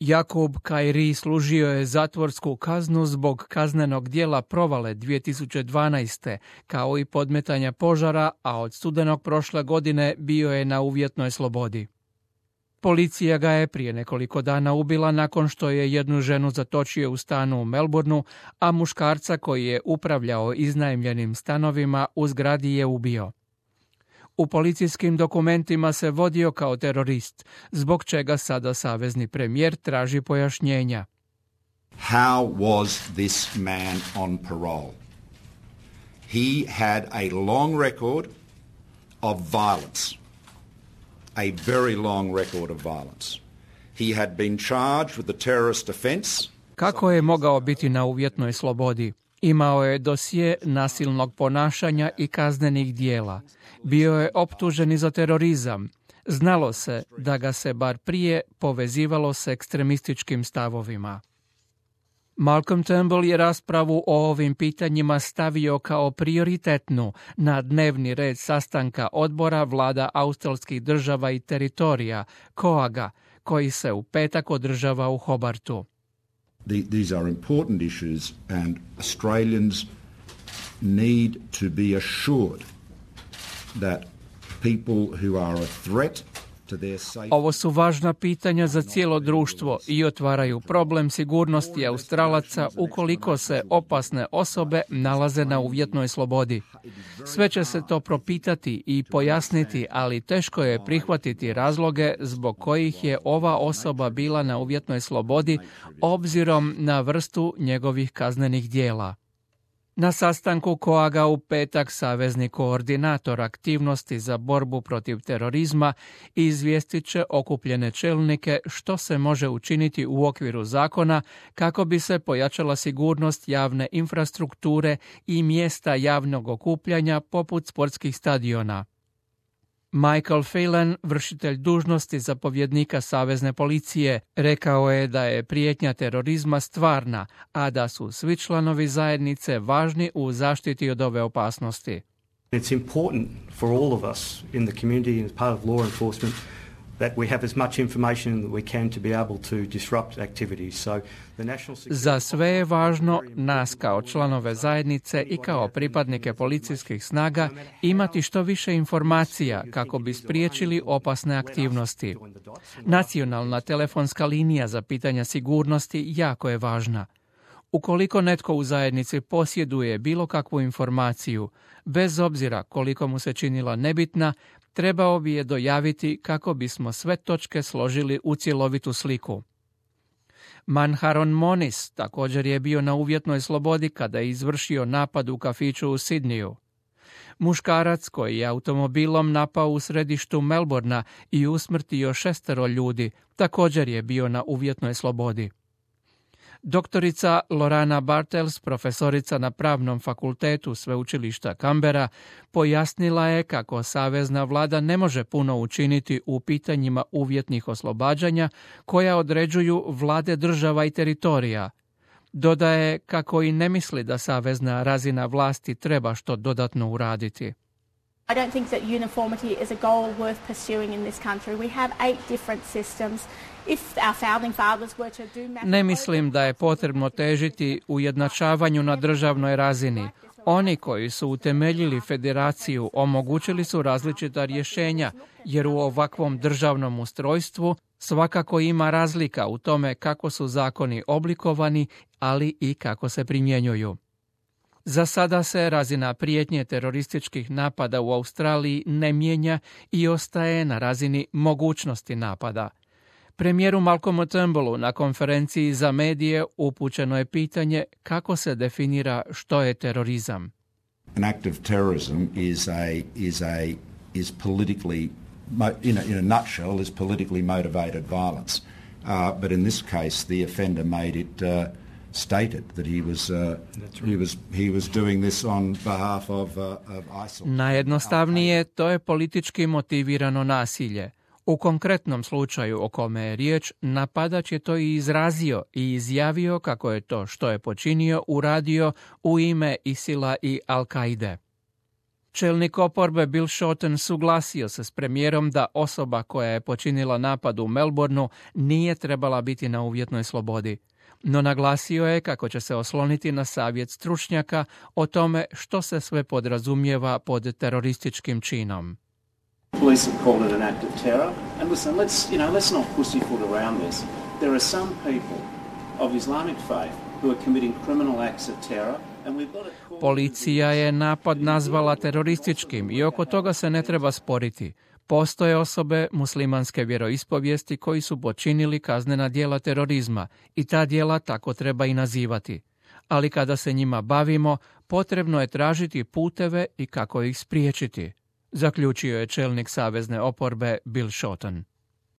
Jakub Kairi služio je zatvorsku kaznu zbog kaznenog djela provale 2012. kao i podmetanja požara, a od studenog prošle godine bio je na uvjetnoj slobodi. Policija ga je prije nekoliko dana ubila nakon što je jednu ženu zatočio u stanu u Melbourneu, a muškarca koji je upravljao iznajmljenim stanovima u zgradi je ubio. U policijskim dokumentima se vodio kao terorist, zbog čega sada savezni premijer traži pojašnjenja. How was this man on parole? He had a long record of violence. A very long record of violence. He had been charged with the terrorist offense. Kako je mogao biti na uvjetnoj slobodi? Imao je dosje nasilnog ponašanja i kaznenih dijela. Bio je optužen i za terorizam. Znalo se da ga se bar prije povezivalo s ekstremističkim stavovima. Malcolm Turnbull je raspravu o ovim pitanjima stavio kao prioritetnu na dnevni red sastanka odbora vlada australskih država i teritorija, COAG-a, koji se u petak održava u Hobartu. These are important issues and Australians need to be assured that people who are a threat to their safety. Ovo su važna pitanja za cijelo društvo i otvaraju problem sigurnosti Australaca ukoliko se opasne osobe nalaze na uvjetnoj slobodi. Sve će se to propitati i pojasniti, ali teško je prihvatiti razloge zbog kojih je ova osoba bila na uvjetnoj slobodi obzirom na vrstu njegovih kaznenih djela. Na sastanku COAG-a u petak savezni koordinator aktivnosti za borbu protiv terorizma izvijestit će okupljene čelnike što se može učiniti u okviru zakona kako bi se pojačala sigurnost javne infrastrukture i mjesta javnog okupljanja poput sportskih stadiona. Michael Phelan, vršitelj dužnosti zapovjednika savezne policije, rekao je da je prijetnja terorizma stvarna, a da su svi članovi zajednice važni u zaštiti od ove opasnosti. It's important for all of us in the community and as part of law enforcement that we have as much information that we can to be able to disrupt activities. So the national security... Za sve je važno, nas kao članove zajednice i kao pripadnike policijskih snaga, imati što više informacija kako bi spriječili opasne aktivnosti. Nacionalna telefonska linija za pitanja sigurnosti jako je važna. Ukoliko netko u zajednici posjeduje bilo kakvu informaciju, bez obzira koliko mu se činila nebitna, trebao bi je dojaviti kako bismo sve točke složili u cjelovitu sliku. Manharon Moniz također je bio na uvjetnoj slobodi kada je izvršio napad u kafiću u Sidneyu. Muškarac koji je automobilom napao u središtu Melbournea i usmrtio 6 ljudi također je bio na uvjetnoj slobodi. Doktorica Lorana Bartels, profesorica na Pravnom fakultetu Sveučilišta Canberra, pojasnila je kako savezna vlada ne može puno učiniti u pitanjima uvjetnih oslobađanja koja određuju vlade država i teritorija. Dodaje kako i ne misli da savezna razina vlasti treba što dodatno uraditi. I don't think that uniformity is a goal worth pursuing in this country. We have 8 different systems. If our founding fathers were to do math... Ne mislim da je potrebno težiti ujednačavanju na državnoj razini. Oni koji su utemeljili federaciju omogućili su različita rješenja, jer u ovakvom državnom ustrojstvu svakako ima razlika u tome kako su zakoni oblikovani, ali i kako se primjenjuju. Za sada se razina prijetnje terorističkih napada u Australiji ne mijenja i ostaje na razini mogućnosti napada. Premijeru Malcolmu Turnbullu na konferenciji za medije upućeno je pitanje kako se definira što je terorizam. An act of terrorism is politically, in a nutshell, is politically motivated violence. But in this case, the offender made it stated that he was doing this on behalf of ISIL. Najjednostavnije, to je politički motivirano nasilje. U konkretnom slučaju o kome je riječ, napadač je to i izrazio i izjavio kako je to što je počinio uradio u ime ISIL-a i Al-Kaide. Čelnik oporbe Bill Shorten suglasio se s premijerom da osoba koja je počinila napad u Melbourneu nije trebala biti na uvjetnoj slobodi. No naglasio je kako će se osloniti na savjet stručnjaka o tome što se sve podrazumijeva pod terorističkim činom. Police have called it an act of terror. And listen, let's not pussyfoot around this. There are some people of Islamic faith who are committing criminal acts of terror. Policija je napad nazvala terorističkim i oko toga se ne treba sporiti. Postoje osobe muslimanske vjeroispovijesti koji su počinili kaznena djela terorizma i ta djela tako treba i nazivati. Ali kada se njima bavimo, potrebno je tražiti puteve i kako ih spriječiti, zaključio je čelnik savezne oporbe Bill Shorten.